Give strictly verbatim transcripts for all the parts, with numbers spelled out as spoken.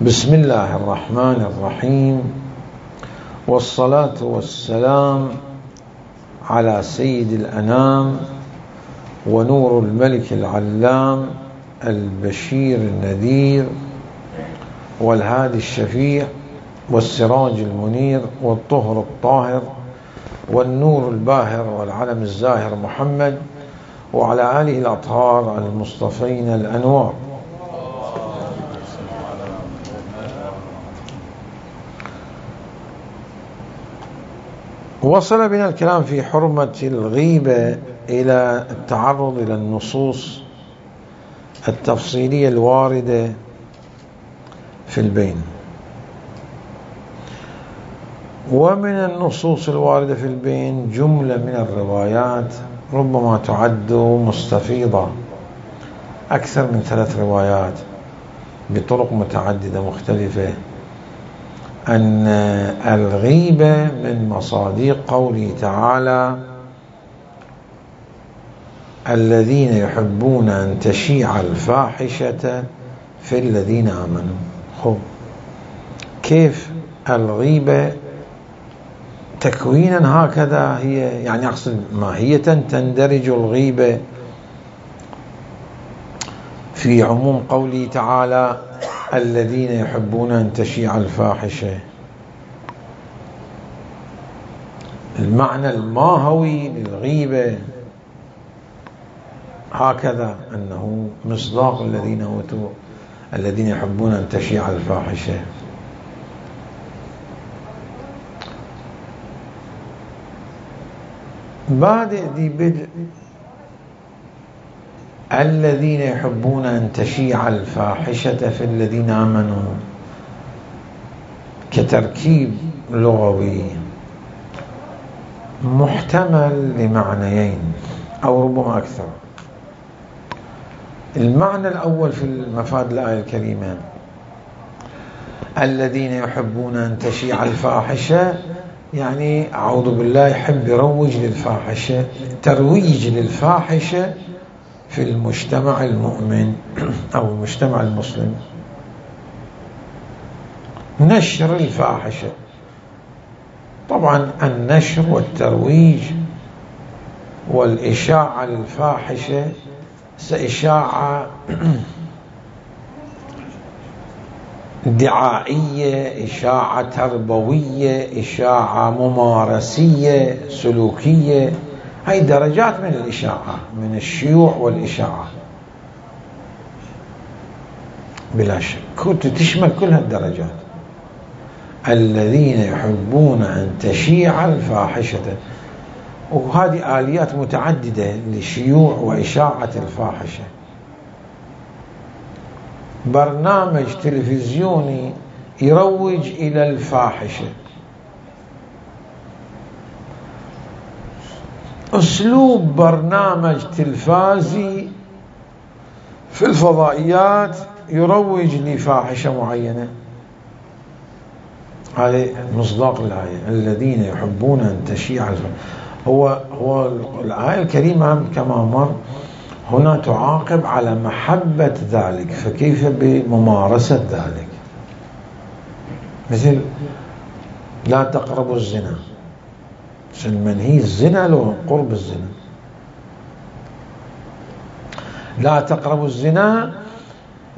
بسم الله الرحمن الرحيم، والصلاة والسلام على سيد الأنام ونور الملك العلام البشير النذير والهادي الشفيع والسراج المنير والطهر الطاهر والنور الباهر والعلم الزاهر محمد وعلى آله الأطهار المصطفين الأنوار. وصل بنا الكلام في حرمة الغيبة إلى التعرض إلى النصوص التفصيلية الواردة في البين، ومن النصوص الواردة في البين جملة من الروايات ربما تعد مستفيضة، أكثر من ثلاث روايات بطرق متعددة مختلفة، أن الغيبة من مصادق قوله تعالى: الذين يحبون أن تشيع الفاحشة في الذين آمنوا. خب كيف الغيبة تكوينا هكذا هي، يعني أقصد ماهية تندرج الغيبة في عموم قوله تعالى الذين يحبون أن تشيع الفاحشة؟ المعنى الماهوي للغيبة هكذا، أنه مصداق الذين أوتوا الذين يحبون أن تشيع الفاحشة. بعد ذي بدء الذين يحبون أن تشيع الفاحشة في الذين آمنوا كتركيب لغوي محتمل لمعنيين أو ربما أكثر. المعنى الأول في المفاد الآية الكريمة الذين يحبون أن تشيع الفاحشة، يعني أعوذ بالله يحب يروج للفاحشة، ترويج للفاحشة في المجتمع المؤمن أو المجتمع المسلم، نشر الفاحشة. طبعا النشر والترويج والإشاعة للفاحشة إشاعة دعائية، إشاعة تربوية، إشاعة ممارسية سلوكية، هاي درجات من الإشاعة، من الشيوع والإشاعة بلا شك، كنت تشمل كل هالدرجات. الذين يحبون أن تشيع الفاحشة، وهذه آليات متعددة لشيوع وإشاعة الفاحشة. برنامج تلفزيوني يروج إلى الفاحشة، أسلوب برنامج تلفازي في الفضائيات يروج لفاحشة معينة. هذه مصداق الآية الذين يحبون أن تشيع الفاحشة. هو هو الآية الكريمة كما مر هنا تعاقب على محبة ذلك، فكيف بممارسة ذلك؟ مثل لا تقربوا الزنا، المنهي الزنا له قرب الزنا. لا تقربوا الزنا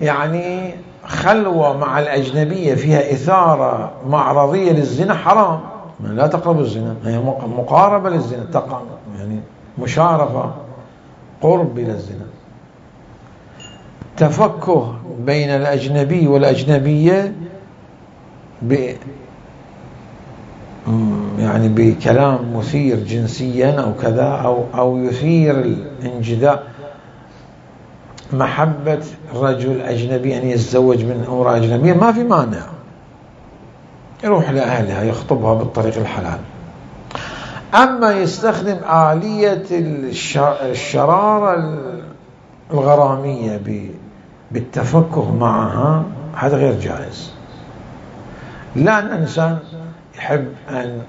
يعني خلوة مع الأجنبية فيها إثارة معرضية للزنا حرام، لا تقربوا الزنا، هي مقاربة للزنا، يعني مشارفة، قرب إلى الزنا. تفكه بين الأجنبي والأجنبية ب يعني بكلام مثير جنسيا أو كذا، أو أو يثير الانجذاب، محبة رجل أجنبي أن يتزوج من امرأة أجنبية، ما في مانع، يروح لأهلها يخطبها بالطريق الحلال. أما يستخدم آلية الشرارة الغرامية بالتفكه معها، هذا غير جائز. لأن الإنسان يحب أن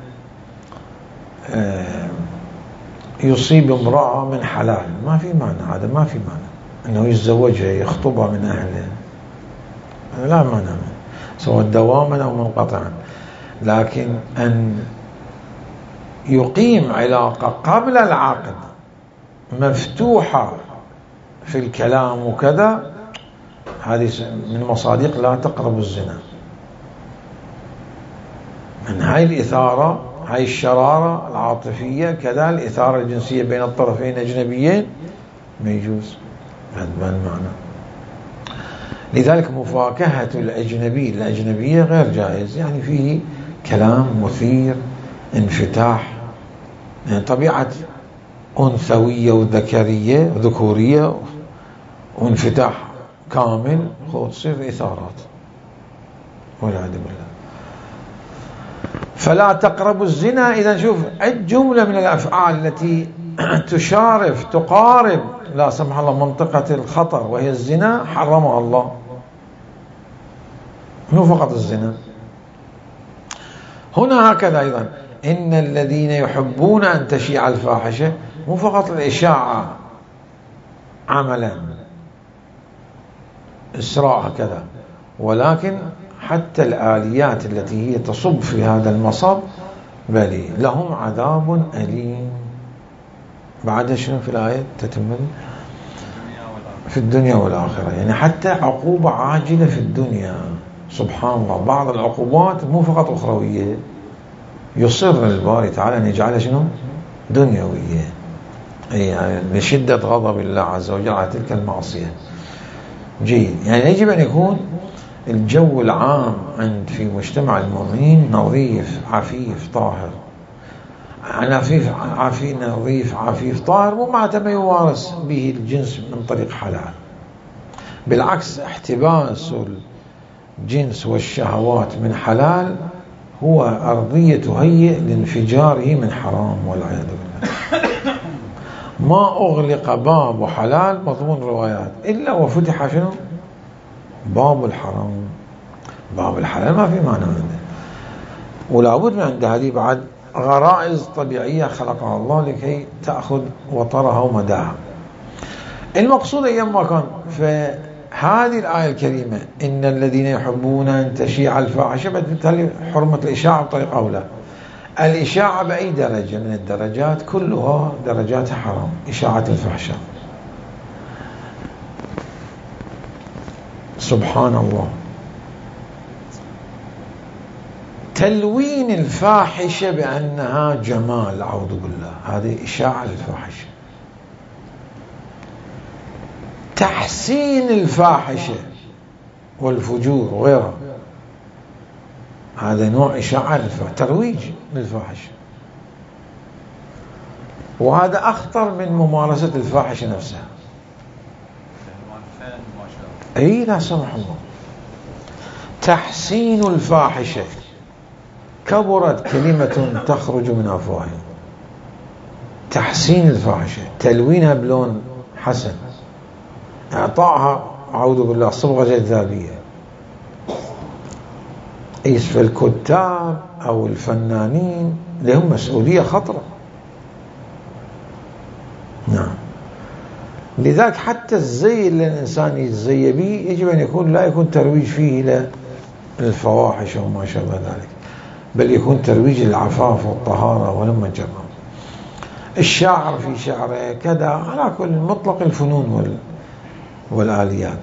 يصيب امرأة من حلال، ما في مانع، هذا ما في مانع أنه يتزوجها يخطبها من أهله، لا مانع منه. سواء دواما أو منقطعا. لكن أن يقيم علاقة قبل العقد مفتوحة في الكلام وكذا، هذه من مصادق لا تقرب الزنا. من هاي الإثارة، هاي الشرارة العاطفية، كذا الإثارة الجنسية بين الطرفين أجنبيين ما يجوز بهذا المعنى. لذلك مفاكهة الأجنبي الأجنبية غير جائز، يعني فيه كلام مثير، انفتاح، يعني طبيعة أنثوية وذكرية وذكورية وانفتاح كامل، تصير إثارات والعياذ بالله. فلا تقربوا الزنا. إذا شوف جملة من الأفعال التي تشارف تقارب لا سمح الله منطقة الخطر وهي الزنا حرمها الله. مو فقط الزنا، هنا هكذا أيضا إن الذين يحبون أن تشيع الفاحشة، مو فقط الإشاعة عملا إسراء كذا، ولكن حتى الآليات التي هي تصب في هذا المصب بل لهم عذاب أليم. بعد شنو في الآية تتمل؟ في الدنيا والآخرة، يعني حتى عقوبة عاجلة في الدنيا. سبحان الله، بعض العقوبات مو فقط أخروية، يصر الباري تعالى أن يجعلها شنو؟ دنيوية، أي يعني لشدة غضب الله عز وجل على تلك المعصية. جيد، يعني يجب أن يكون الجو العام عند في مجتمع المؤمنين نظيف عفيف طاهر. عفيف عفيف نظيف عفيف طاهر مو معناته ما يمارس به الجنس من طريق حلال، بالعكس احتباس الجنس والشهوات من حلال هو أرضية تهيئ لانفجاره من حرام والعياذ بالله. ما أغلق باب حلال مضمون روايات إلا وفتح شنو؟ باب الحرام. باب الحلال ما في معنى عنده، ولا بد من عند هذه بعد غرائز طبيعية خلقها الله لكي تأخذ وطرها ومداها. المقصود أيما كان في هذه الآية الكريمة إن الذين يحبون أن تشيع الفاحشة، بالتالي حرمة الإشاعة بطريقة أولى. الإشاعة بأي درجة من الدرجات كلها درجات حرام، إشاعة الفحشاء. سبحان الله. تلوين الفاحشة بأنها جمال، أعوذ بالله، هذه إشاعة الفاحشة. تحسين الفاحشة والفجور وغيرها، هذا نوع إشاعة الفاحشة، ترويج للفاحشة، وهذا أخطر من ممارسة الفاحشة نفسها. أي لا سمح الله. تحسين الفاحشة كبرت كلمة تخرج من أفواههم. تحسين الفاحشة، تلوينها بلون حسن، إعطائها أعوذ بالله صبغة جذابية. إيش في الكتاب أو الفنانين لهم مسؤولية خطرة. نعم، لذلك حتى الزي اللي الإنسان يتزي به يجب أن يكون لا يكون ترويج فيه إلى الفواحش وما شابه ذلك، بل يكون ترويج للعفاف والطهارة ولما جرم. الشاعر في شعره كذا، على كل مطلق الفنون وال والآليات.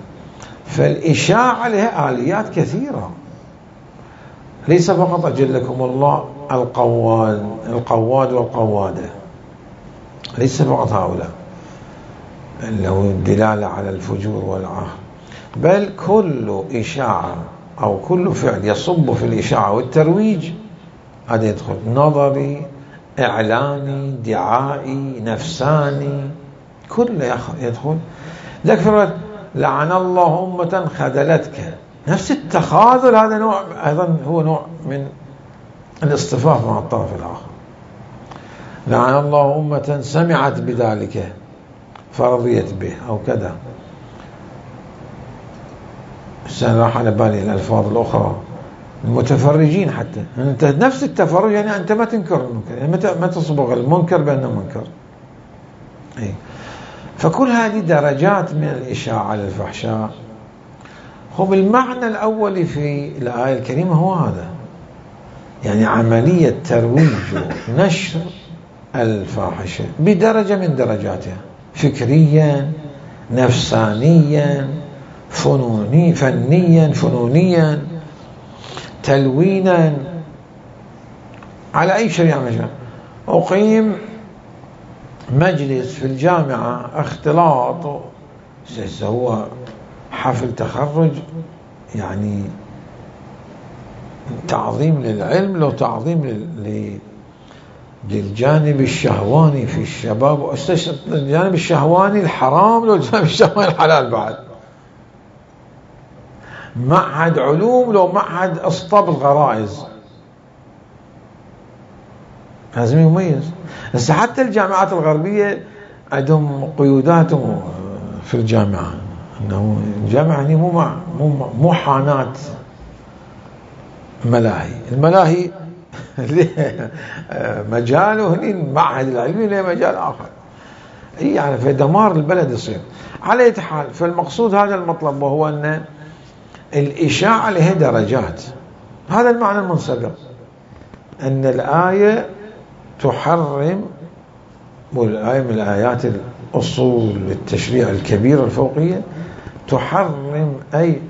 فالإشاعة لها آليات كثيرة، ليس فقط أجلكم الله القواد القواد والقوادة، ليس فقط هؤلاء اللي هو الدلالة على الفجور والعار، بل كل إشاعة أو كل فعل يصب في الإشاعة والترويج هذا يدخل. نظري، إعلاني، دعائي، نفساني، كله يدخل. ذكر لعن الله أمة خذلتك، نفس التخاذل هذا نوع أيضا، هو نوع من الاصطفاف مع الطرف الآخر. لعن الله أمة سمعت بذلك فرضيت به أو كذا. السنة راح على بالي الألفاظ الأخرى، المتفرجين حتى، أنت نفس التفرج، يعني أنت ما تنكر المنكر، يعني ما تصبغ المنكر بأنه منكر. أي. فكل هذه درجات من الإشاعة للفحشاء، هو بالمعنى الأولي في الآية الكريمة هو هذا، يعني عملية ترويج ونشر الفاحشة بدرجة من درجاتها، فكريا، نفسانيا، فنوني فنيا فنونيا، تلوينا، على أي شريعة مجال. أقيم مجلس في الجامعة اختلاط، هو حفل تخرج، يعني تعظيم للعلم لو تعظيم لل... للجانب الشهواني في الشباب، الجانب الشهواني الحرام لو الجانب الشهواني الحلال بعد. معهد علوم لو معهد اصطاب الغرائز، لازم يميز. بس حتى الجامعات الغربية عندهم قيوداتهم في الجامعة، انه الجامعة يعني مو مع مو مو حانات ملاهي، الملاهي مجال وهني المعهد العلمي له مجال آخر، يعني في دمار البلد يصير. على أي حال، فالمقصود هذا المطلب، وهو أن الإشاعة لها درجات. هذا المعنى المنسبق، أن الآية تحرم، والآية من الآيات الأصول التشريع الكبيرة الفوقية، تحرم أي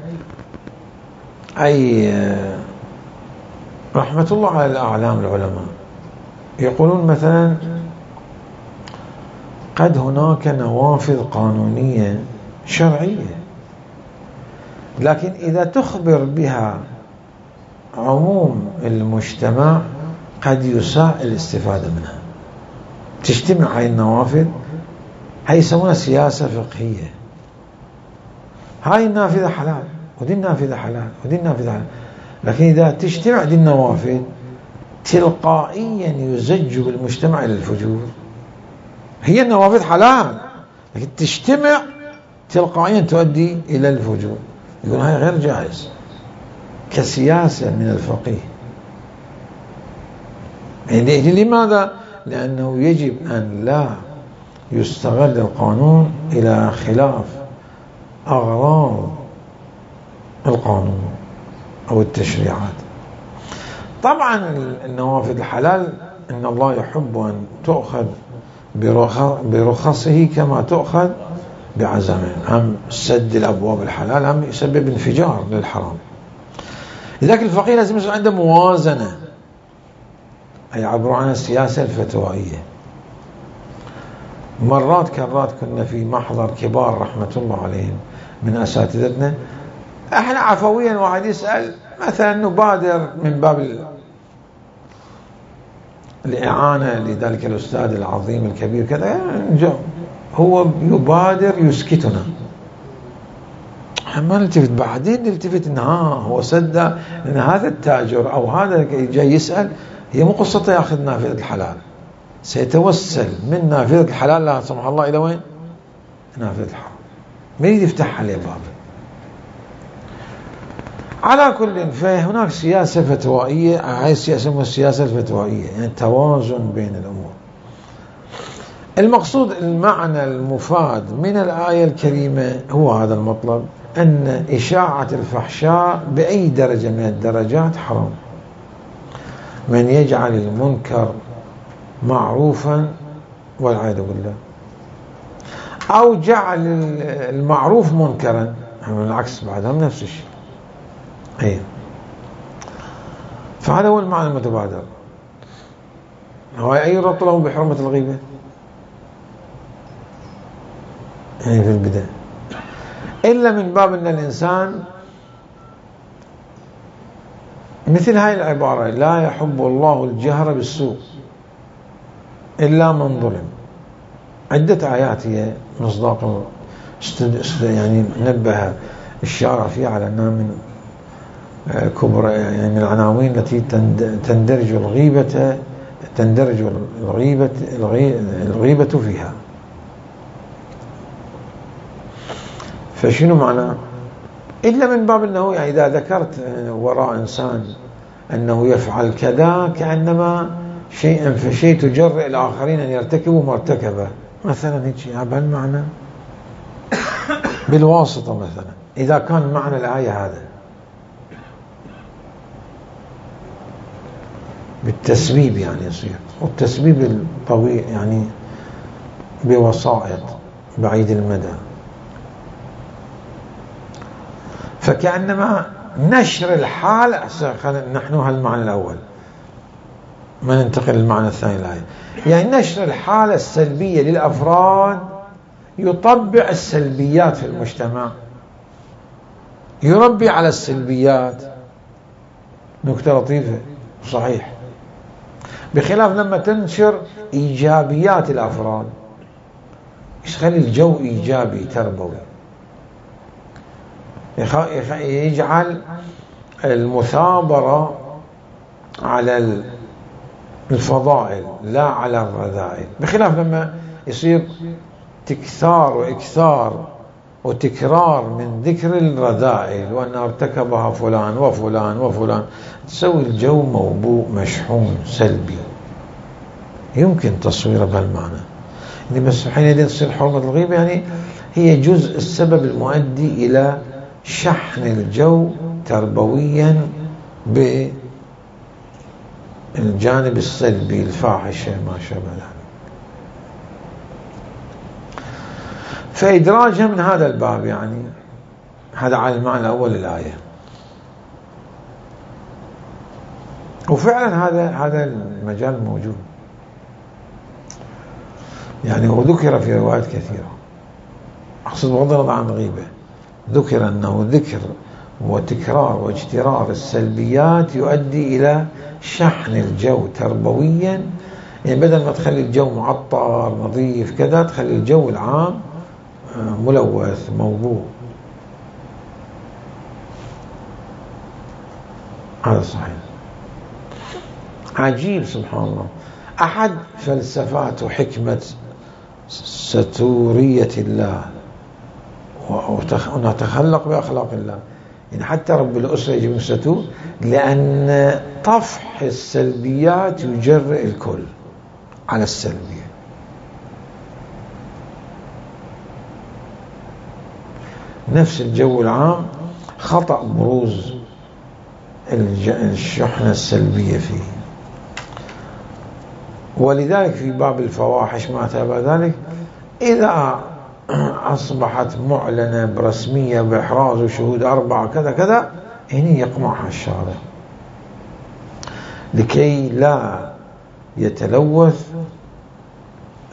أي رحمة الله على الأعلام العلماء يقولون مثلا قد هناك نوافذ قانونية شرعية، لكن إذا تخبر بها عموم المجتمع قد يساء الاستفادة منها. تجتمع هاي النوافذ، هاي يسمونها سياسة فقهية، هاي النافذة حلال ودي النافذة حلال ودي النافذة حلال، لكن إذا تجتمع دي النوافذ تلقائيا يزج بالمجتمع إلى الفجور. هي النوافذ حلال لكن تجتمع تلقائيا تؤدي إلى الفجور، يقول هاي غير جائز كسياسة من الفقيه. يعني لماذا؟ لأنه يجب أن لا يستغل القانون إلى خلاف أغراض القانون أو التشريعات. طبعا النوافذ الحلال إن الله يحب أن تؤخذ برخصه كما تؤخذ بعزمه، هم سد الأبواب الحلال هم يسبب انفجار للحرام. لذلك الفقيه لازم يصير عنده موازنة، أي عبر عن السياسة الفتوائية. مرات كرات كنا في محضر كبار رحمة الله عليهم من أساتذتنا، احنا عفويا واحد يسأل مثلا نبادر من باب الإعانة لذلك الأستاذ العظيم الكبير كذا، هو يبادر يسكتنا، ما نلتفت، بعدين نلتفت ان ها هو صدق ان هذا التاجر او هذا جاي يسأل، هي مو قصته ياخذ نافذة الحلال، سيتوسل من نافذة الحلال لا سمح الله الى وين؟ نافذة الحرام، ما يريد يفتح عليه باب. على كل، فهناك سياسة فتوائية، هاي السياسة السياسة الفتوائية، يعني توازن بين الأمور. المقصود المعنى المفاد من الآية الكريمة هو هذا المطلب، أن إشاعة الفحشاء بأي درجة من الدرجات حرام. من يجعل المنكر معروفا والعياذ بالله، أو جعل المعروف منكرا، هم العكس بعدهم نفس الشيء. أيه. فهذا هو المعنى المتبادر. هو أي ربط له بحرمة الغيبة؟ يعني في البداية، إلا من باب أن الإنسان مثل هاي العبارة: لا يحب الله الجهر بالسوء إلا من ظلم. عدة آيات هي مصداق يعني نبه الشارع فيها على أنها من كبرى، يعني من العناوين التي تندرج الغيبة تندرج الغيبة الغيبة فيها. فشنو معنى؟ إلا من باب أنه يعني إذا ذكرت وراء إنسان أنه يفعل كذا كأنما شيئا فشيء تجرئ الآخرين أن يرتكبوا مرتكبه، مثلا هيك بهالمعنى بالواسطة مثلا. إذا كان معنى الآية هذا بالتسبيب يعني يصير، والتسبيب الطويل يعني بوسائط بعيد المدى، فكأنما نشر الحال. نحن هالمعنى الأول ما ننتقل للمعنى الثاني الآية، يعني نشر الحالة السلبية للأفراد يطبع السلبيات في المجتمع، يربي على السلبيات. نكتة لطيفة صحيح، بخلاف لما تنشر إيجابيات الأفراد يخلي الجو إيجابي تربوي، يجعل المثابرة على الفضائل لا على الرذائل، بخلاف لما يصير تكثار وإكثار وتكرار من ذكر الرذائل وأن ارتكبها فلان وفلان وفلان، تسوي الجو موبوء مشحون سلبي. يمكن تصويره بهالمعنى يعني، بس حينئذ تصير حرمة الغيبة يعني هي جزء السبب المؤدي إلى شحن الجو تربويا بالجانب السلبي الفاحشة ما شابه ذلك. فإدراجها من هذا الباب يعني هذا على المعنى الأول للآية. وفعلا هذا هذا المجال موجود يعني، وذكر في روايات كثيرة، أقصد بغض النظر عن الغيبة، ذكر أنه ذكر وتكرار واجترار السلبيات يؤدي إلى شحن الجو تربويا، يعني بدل ما تخلي الجو معطر نظيف كذا تخلي الجو العام ملوث موضوع. هذا صحيح. عجيب سبحان الله، أحد فلسفات وحكمة ستورية الله ونتخلق بأخلاق الله، يعني حتى رب الأسرة يجب أن ستور، لأن طفح السلبيات يجرئ الكل على السلبية. نفس الجو العام خطأ بروز الشحنة السلبية فيه، ولذلك في باب الفواحش ما تابع ذلك إذا أصبحت معلنة برسمية بإحراز وشهود أربعة كذا كذا، هنا يقمعها الشارع لكي لا يتلوث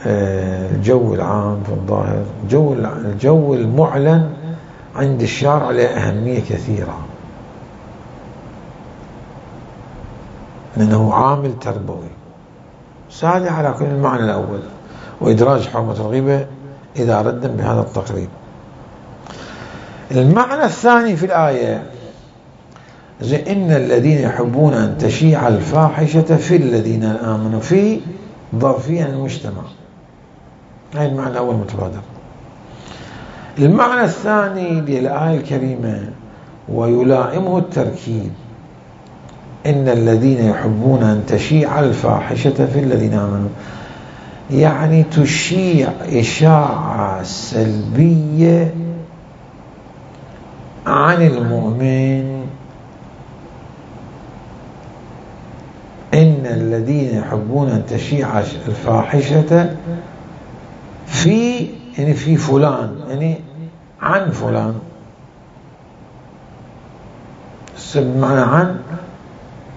الجو العام في الظاهر. الجو الجو المعلن عند الشارع له أهمية كثيرة، لأنه عامل تربوي. سادة على كل المعنى الأول، وإدراج حرمة الغيبة إذا ردا بهذا التقريب. المعنى الثاني في الآية زي إن الذين يحبون أن تشيع الفاحشة في الذين آمنوا، في ظرفيا المجتمع، هذا المعنى الأول متبادر. المعنى الثاني للآية الكريمة ويلائمه التركيب إن الذين يحبون أن تشيع الفاحشة في الذين آمنوا، يعني تشيع إشاعة سلبية عن المؤمن. إن الذين يحبون أن تشيع الفاحشة في يعني في فلان، يعني عن فلان، بمعنى عن،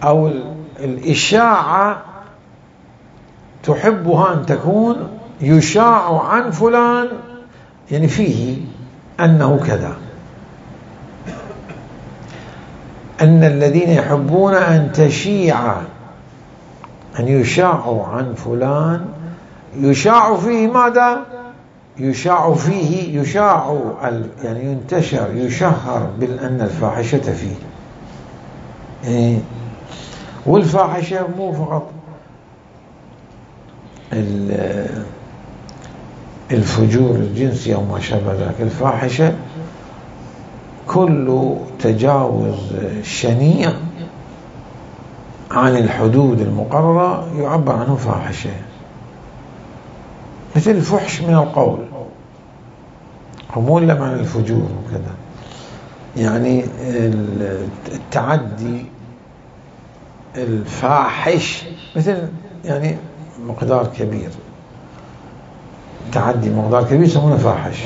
أو الإشاعة تحبها أن تكون يشاع عن فلان، يعني فيه أنه كذا. أن الذين يحبون أن تشيع، أن يشاع عن فلان، يشاع فيه ماذا؟ يشاع فيه يشاع يعني ينتشر يشهر بأن الفاحشة فيه. يعني والفاحشة مو فقط الفجور الجنسي أو ما شابه ذلك، الفاحشة كل تجاوز شنيع عن الحدود المقررة يعبر عنه فاحشة، مثل الفحش من القول، مو إلا معنى الفجور وكذا. يعني التعدي الفاحش مثل يعني مقدار كبير، تعدي مقدار كبير يسمونه فاحش،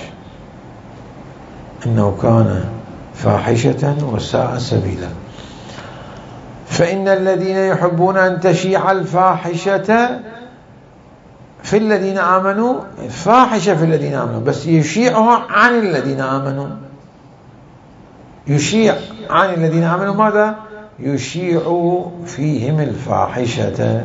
إنه كان فاحشة وساء سبيلا. فإن الذين يحبون أن تشيع الفاحشة في الذين آمنوا، فاحشة في الذين آمنوا، بس يشيعها عن الذين آمنوا، يشيع عن الذين آمنوا ماذا؟ يشيع فيهم الفاحشة.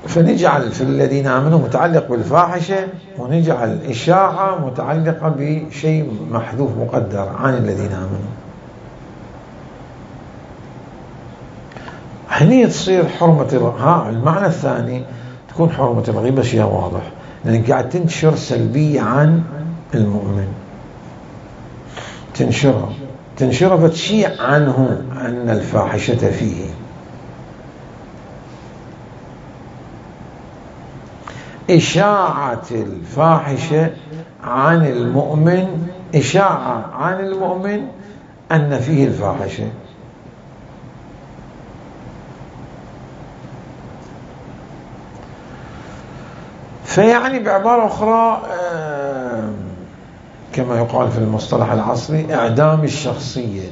فنجعل في الذين آمنوا متعلق بالفاحشة، ونجعل الإشاعة متعلقة بشيء محذوف مقدر عن الذين آمنوا. هني تصير حرمة ها المعنى الثاني تكون حرمة الغيبة شيء واضح، لأنك قاعد تنشر سلبية عن المؤمن، تنشرها تنشرها فتشيع عنه أن الفاحشة فيه. إشاعة الفاحشة عن المؤمن، إشاعة عن المؤمن أن فيه الفاحشة. فيعني بعبارة أخرى كما يقال في المصطلح العصري إعدام الشخصية،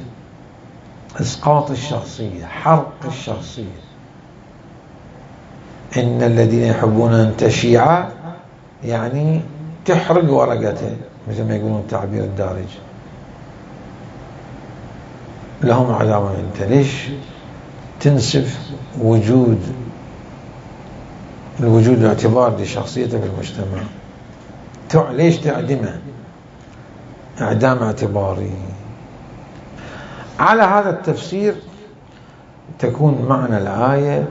إسقاط الشخصية، حرق الشخصية. إن الذين يحبون أن تشيع يعني تحرق ورقته، مثل ما يقولون التعبير الدارج، لهم عذاب. أنت ليش تنسف وجود الوجود الاعتبار لشخصيته في المجتمع؟ ليش تعدمه؟ إعدام اعتباري. على هذا التفسير تكون معنى الآية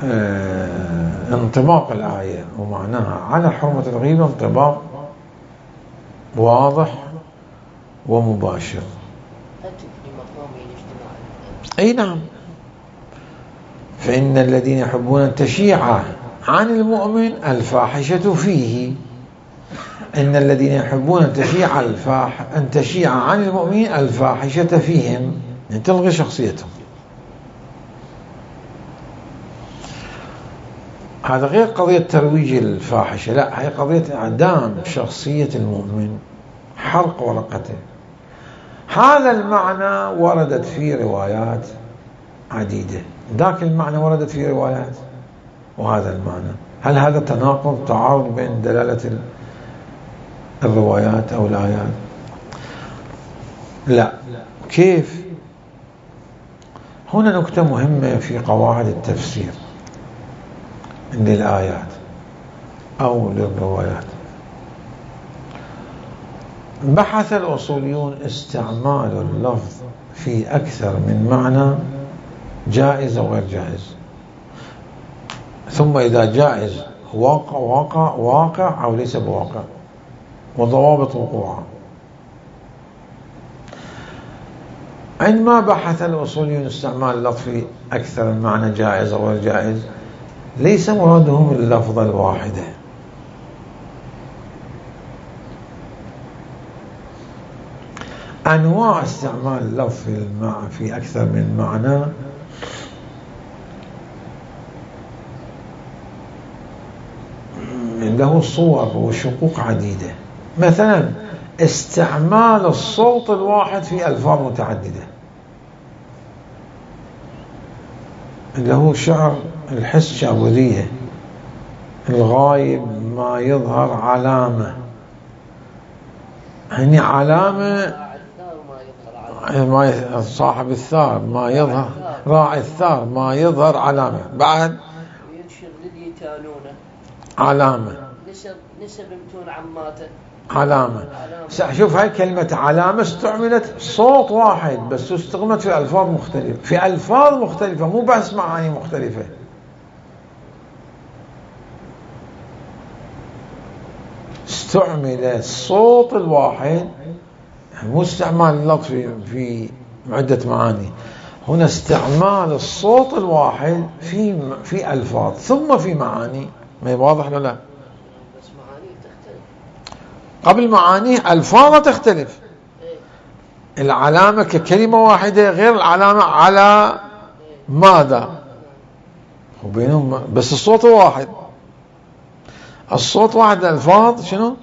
اه انطباق الآية ومعناها على حرمة الغيبة انطباق واضح ومباشر. أي نعم. فإن الذين يحبون أن تشيع عن المؤمن الفاحشة فيه، إن الذين يحبون أن تشيع الفاح أن تشيع عن المؤمنين الفاحشة فيهم، يعني تلغي شخصيتهم. هذا غير قضية ترويج الفاحشة، لا، هي قضية إعدام شخصية المؤمن، حرق ورقته. هذا المعنى وردت في روايات عديدة، ذاك المعنى وردت في روايات، وهذا المعنى. هل هذا تناقض تعارض بين دلالة الروايات أو الآيات؟ لا. كيف؟ هنا نكتة مهمة في قواعد التفسير للآيات أو للروايات. بحث الأصوليون استعمال اللفظ في أكثر من معنى جائز أو غير جائز، ثم إذا جائز واقع واقع واقع أو ليس بواقع، وضوابط وقوعه. عندما بحث الأصوليون استعمال اللفظ في أكثر من معنى جائز أو غير جائز، ليس مرادهم اللفظة الواحدة، أنواع استعمال اللفظ في أكثر من معنى له صور وشقوق عديدة. مثلا استعمال الصوت الواحد في ألفاظ متعددة، اللي هو شعر الحس شعورية، الغايب ما يظهر علامة، هني علامة ما صاحب الثار ما يظهر، راعي الثار ما يظهر علامة، بعد علامة، نسب نسب متون عماته علامة. شوف هاي كلمة علامة استعملت صوت واحد بس استخدمت في ألفاظ مختلفة، في ألفاظ مختلفة، مو بس معاني مختلفة. استعمل الصوت الواحد، مو استعمال اللفظ في في عدة معاني، هنا استعمال الصوت الواحد في في ألفاظ ثم في معاني. ما واضح ولا لا؟ بس معاني تختلف. قبل معاني ألفاظ تختلف، العلامة ككلمة واحدة غير العلامة على ماذا، وبينهم بس الصوت واحد. الصوت واحد، الألفاظ شنو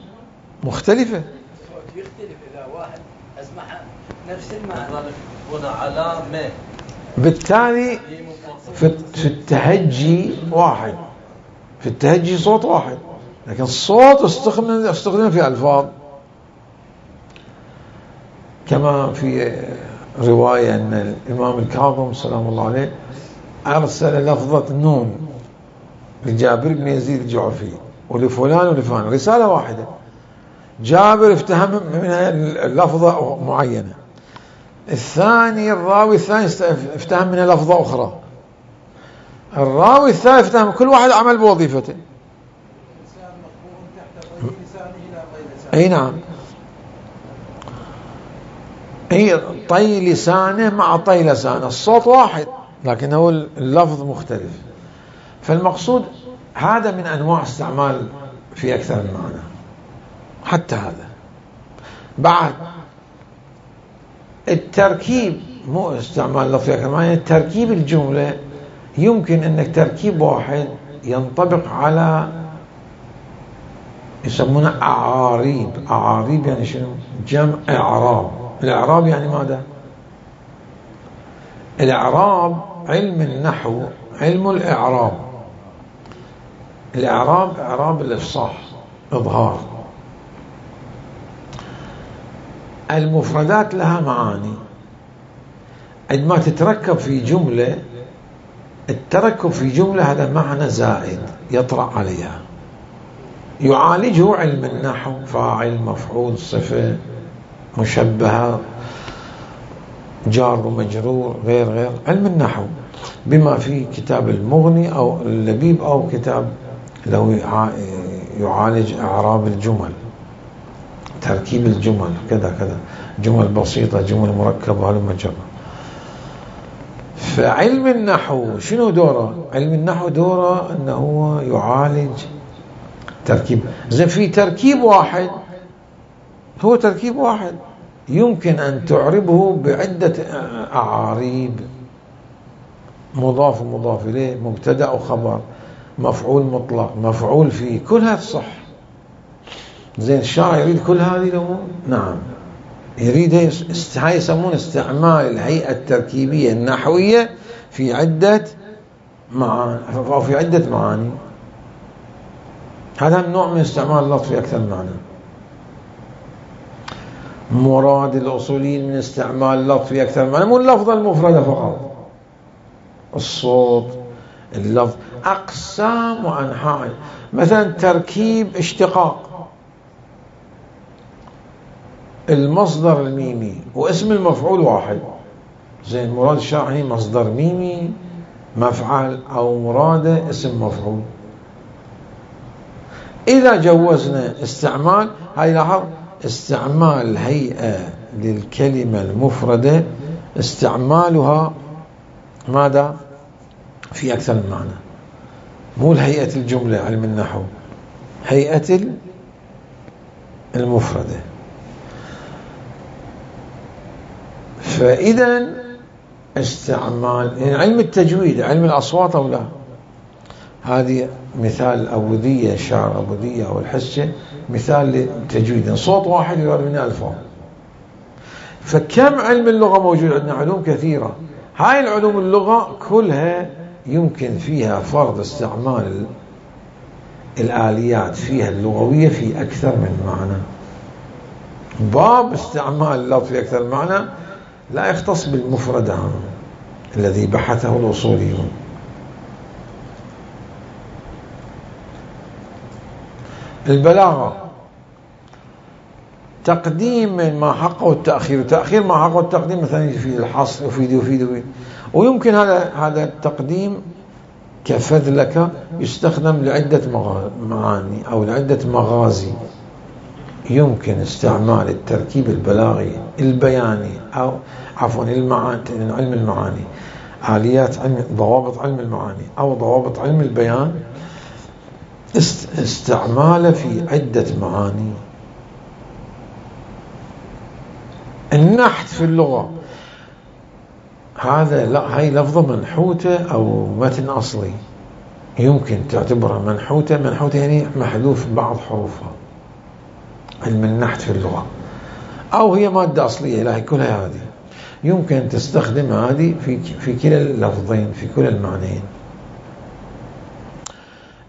مختلفة. الصوت يختلف إذا واحد أسمعها نفس المعنى هنا علامة، بالتالي في التهجي واحد، في التهجي صوت واحد، لكن الصوت استخدم استخدم في ألفاظ. كما في رواية أن الإمام الكاظم سلام الله عليه أرسل لفظة نون لجابر بن يزيد الجعفي ولفلان ولفلان، رسالة واحدة. جابر افتهم منها لفظة معينة، الثاني الراوي الثاني افتهم منها لفظة أخرى، الراوي الثالث افتهم، كل واحد عمل بوظيفته. اي نعم، هي طي لسانه مع طي لسانه، الصوت واحد لكن هو اللفظ مختلف. فالمقصود هذا من أنواع استعمال في أكثر من معنى. حتى هذا بعد التركيب، مو استعمال لفظ في أكثر من معنى، تركيب الجملة يمكن أنك تركيب واحد ينطبق على يسمونه أعاريب. أعاريب يعني شنو؟ جمع إعراب. الإعراب يعني ماذا؟ الإعراب علم النحو، علم الإعراب. الإعراب إعراب الإفصاح، إظهار. المفردات لها معاني، عندما تتركب في جملة، التركب في جملة هذا معنى زائد يطرأ عليها، يعالجه علم النحو، فاعل مفعول صفة مشبهة جار ومجرور غير غير علم النحو، بما في كتاب المغني أو اللبيب أو كتاب لو يعالج إعراب الجمل، تركيب الجمل كذا كذا، جمل بسيطة جمل مركبة هلم جرة. فعلم النحو شنو دوره؟ علم النحو دوره أنه هو يعالج تركيب. زين في تركيب واحد، هو تركيب واحد يمكن أن تعربه بعدة أعاريب، مضاف ومضاف إليه، مبتدأ وخبر، مفعول مطلق، مفعول فيه، كل هذا صح. زين الشاعر يريد كل هذه لو؟ نعم يريد. هاي يسمون استعمال الهيئة التركيبية النحوية في عدة معاني أو في عدة معاني. هذا النوع من استعمال اللفظ في أكثر من معنى. مراد الأصوليين من استعمال اللفظ في أكثر من معنى مو اللفظة المفردة فقط، الصوت، اللفظ، أقسام وأنحاء. مثلا تركيب اشتقاق، المصدر الميمي واسم المفعول واحد. زين مراد الشاعري مصدر ميمي مفعل أو مراد اسم مفعول. إذا جوزنا استعمال، هاي لاحظ استعمال هيئة للكلمة المفردة استعمالها ماذا؟ في أكثر من معنى، مو الهيئة الجملة علم النحو، هيئة المفردة. فإذا استعمال يعني علم التجويد، علم الأصوات أو لا، هذه مثال أبودية، شعر أبودية أو الحسة، مثال للتجويد، صوت واحد يراد منه ألفاظ. فكم علم اللغة موجود عندنا؟ علوم كثيرة. هاي العلوم اللغة كلها يمكن فيها فرض استعمال الآليات فيها اللغوية في أكثر من معنى. باب استعمال اللفظ في أكثر من معنى لا يختص بالمفرد الذي بحثه الأصوليون. البلاغة تقديم ما حقه التأخير، وتأخير ما حقه التقديم، مثلا يفيد الحصر يفيد يفيد يفيد. ويمكن هذا هذا التقديم كفذلك يستخدم لعدة معاني أو لعدة مغازي. يمكن استعمال التركيب البلاغي البياني أو عفوا المعاني، علم المعاني، آليات علم ضوابط علم المعاني أو ضوابط علم البيان، استعماله في عدة معاني. النحت في اللغة هذا لا، هاي لفظة منحوتة أو متن أصلي، يمكن تعتبرها منحوتة. منحوتة يعني محذوف بعض حروفها، علم النحت في اللغة، أو هي مادة أصلية، لا هي كلها هذه يمكن تستخدم هذه في في كلا اللفظين، في كلا المعنيين.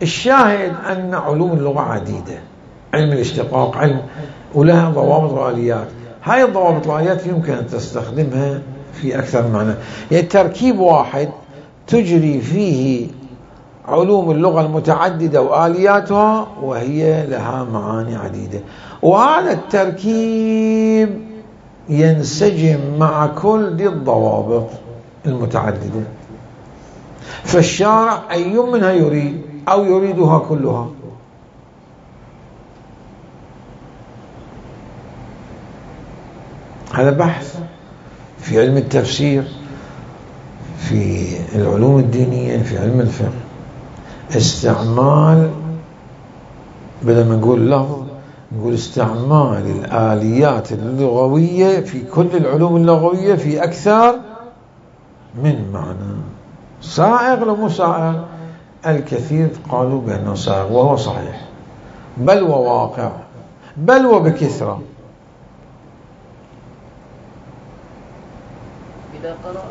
الشاهد أن علوم اللغة عديدة، علم الاشتقاق، علم ولها ضوابط وآليات. هاي الضوابط والآليات يمكن أن تستخدمها في أكثر من معنى، يعني تركيب واحد تجري فيه علوم اللغة المتعددة وآلياتها، وهي لها معاني عديدة، وهذا التركيب ينسجم مع كل دي الضوابط المتعددة. فالشارع أي منها يريد أو يريدها كلها. هذا بحث في علم التفسير، في العلوم الدينية، في علم الفقه. استعمال، بدل ما نقول لفظ نقول استعمال الآليات اللغوية في كل العلوم اللغوية في أكثر من معنى. سائغ لو مو سائغ؟ الكثير قالوا بأنه سائغ وهو صحيح، بل وواقع، بل وبكثرة. إذا قرأ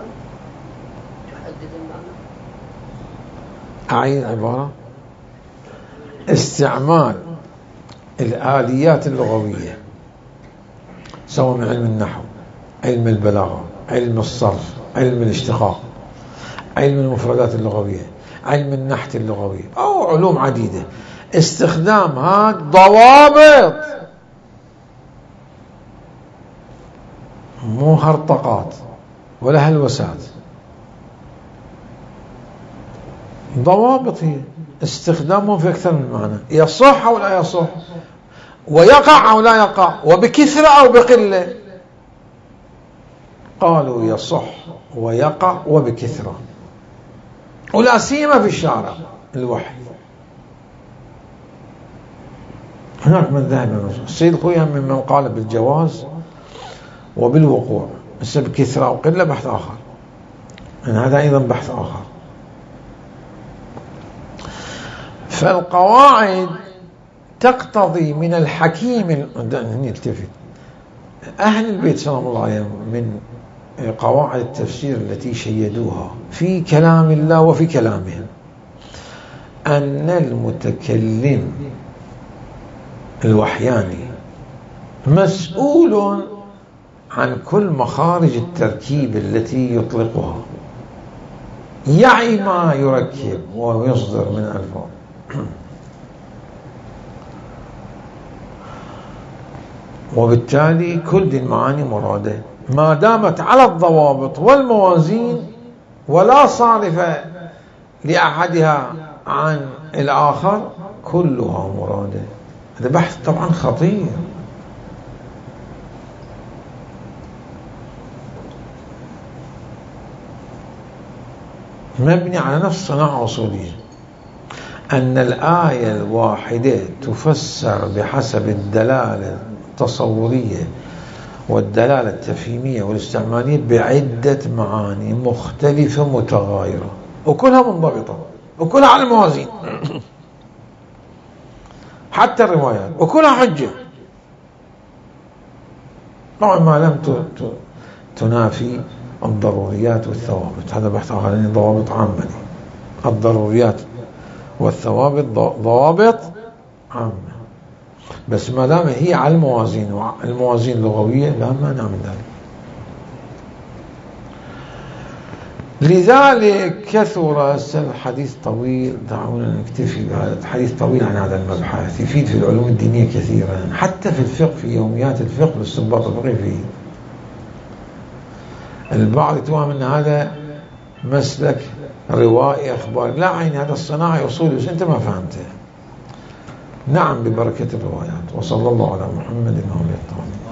تحدد المعنى. أعيد عبارة. استعمال الآليات اللغوية سواء من علم النحو، علم البلاغة، علم الصرف، علم الاشتقاق، علم المفردات اللغوية، علم النحت اللغوي، أو علوم عديدة. استخدامها ضوابط، مو هرطقات ولا هلوسات، ضوابط هي استخدامهم في أكثر من معنى، يصح أو لا يصح، ويقع أو لا يقع، وبكثرة أو بقلة. قالوا يصح ويقع وبكثرة، ولا سيما في الشارع الوحي. هناك من ذهب السيد خويا ممن قال بالجواز وبالوقوع، بس بكثرة أو قلة بحث آخر، يعني هذا أيضا بحث آخر. فالقواعد تقتضي من الحكيم، نلتفت أهل البيت سلام الله عليهم من قواعد التفسير التي شيدوها في كلام الله وفي كلامهم، أن المتكلم الوحياني مسؤول عن كل مخارج التركيب التي يطلقها، يعي ما يركب ويصدر من ألفاظ. وبالتالي كل دي المعاني مرادة ما دامت على الضوابط والموازين ولا صارف لأحدها عن الآخر، كلها مرادة. هذا بحث طبعا خطير. مبني على نفس صناعة أصولية، أن الآية الواحدة تفسر بحسب الدلالة التصورية والدلالة التفهيمية والاستعمالية بعدة معاني مختلفة متغايرة، وكلها منضبطة، وكلها على الموازين حتى الروايات، وكلها حجة طبعا ما لم تنافي الضروريات والثوابت. هذا بحث آخر، يعني ضوابط عامة. الضروريات والثوابت ضوابط عامة، بس ما دام هي على الموازين، الموازين اللغوية لا مانع من ذلك. لذلك كثر الحديث طويل، دعونا نكتفي بهذا الحديث طويل عن هذا المبحث، يفيد في العلوم الدينية كثيرا، حتى في الفقه، في يوميات الفقه والاستنباط الفقهي فيه. البعض يتوهم أن هذا مسلك روائي أخبار، لا، عين هذا الصناعي أصولي، بس أنت ما فهمته. نعم ببركة الروايات. وصلى الله على محمد وعلى آله.